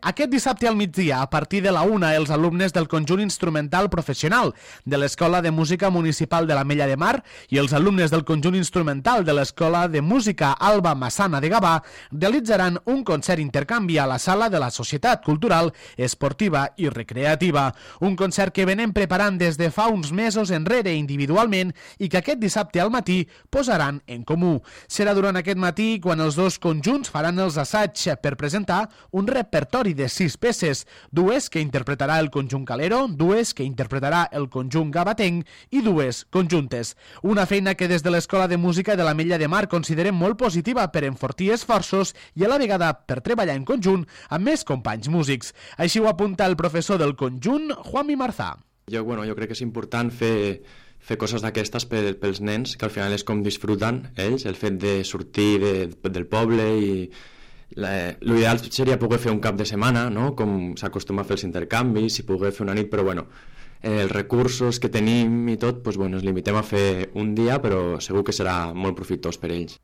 Aquest dissabte al migdia, a partir de la 1, els alumnes del conjunt instrumental professional de l'Escola de Música Municipal de l'Ametlla de Mar i els alumnes del conjunt instrumental de l'Escola de Música Alba Massana de Gavà realitzaran un concert intercanvi a la sala de la Societat Cultural, Esportiva i Recreativa. Un concert que venem preparant des de fa uns mesos enrere individualment i que aquest dissabte al matí posaran en comú. Serà durant aquest matí quan els dos conjunts faran els assaigs per presentar un repertori de 6 peces, 2 que interpretarà el conjunt Calero, 2 que interpretarà el conjunt Gabatenc i 2 conjuntes. Una feina que des de l'Escola de Música de l'Ametlla de Mar considerem molt positiva per enfortir esforços i a la vegada per treballar en conjunt amb més companys músics. Així ho apunta el professor del conjunt, Juanmi Marzà. Jo crec que és important fer coses d'aquestes pels nens, que al final és com disfruten ells, el fet de sortir del poble i l'ideal seria poder fer un cap de setmana, no? Com s'acostuma a fer els intercanvis, si poder fer una nit, però els recursos que tenim i tot, ens limitem a fer un dia, però segur que serà molt profitós per ells.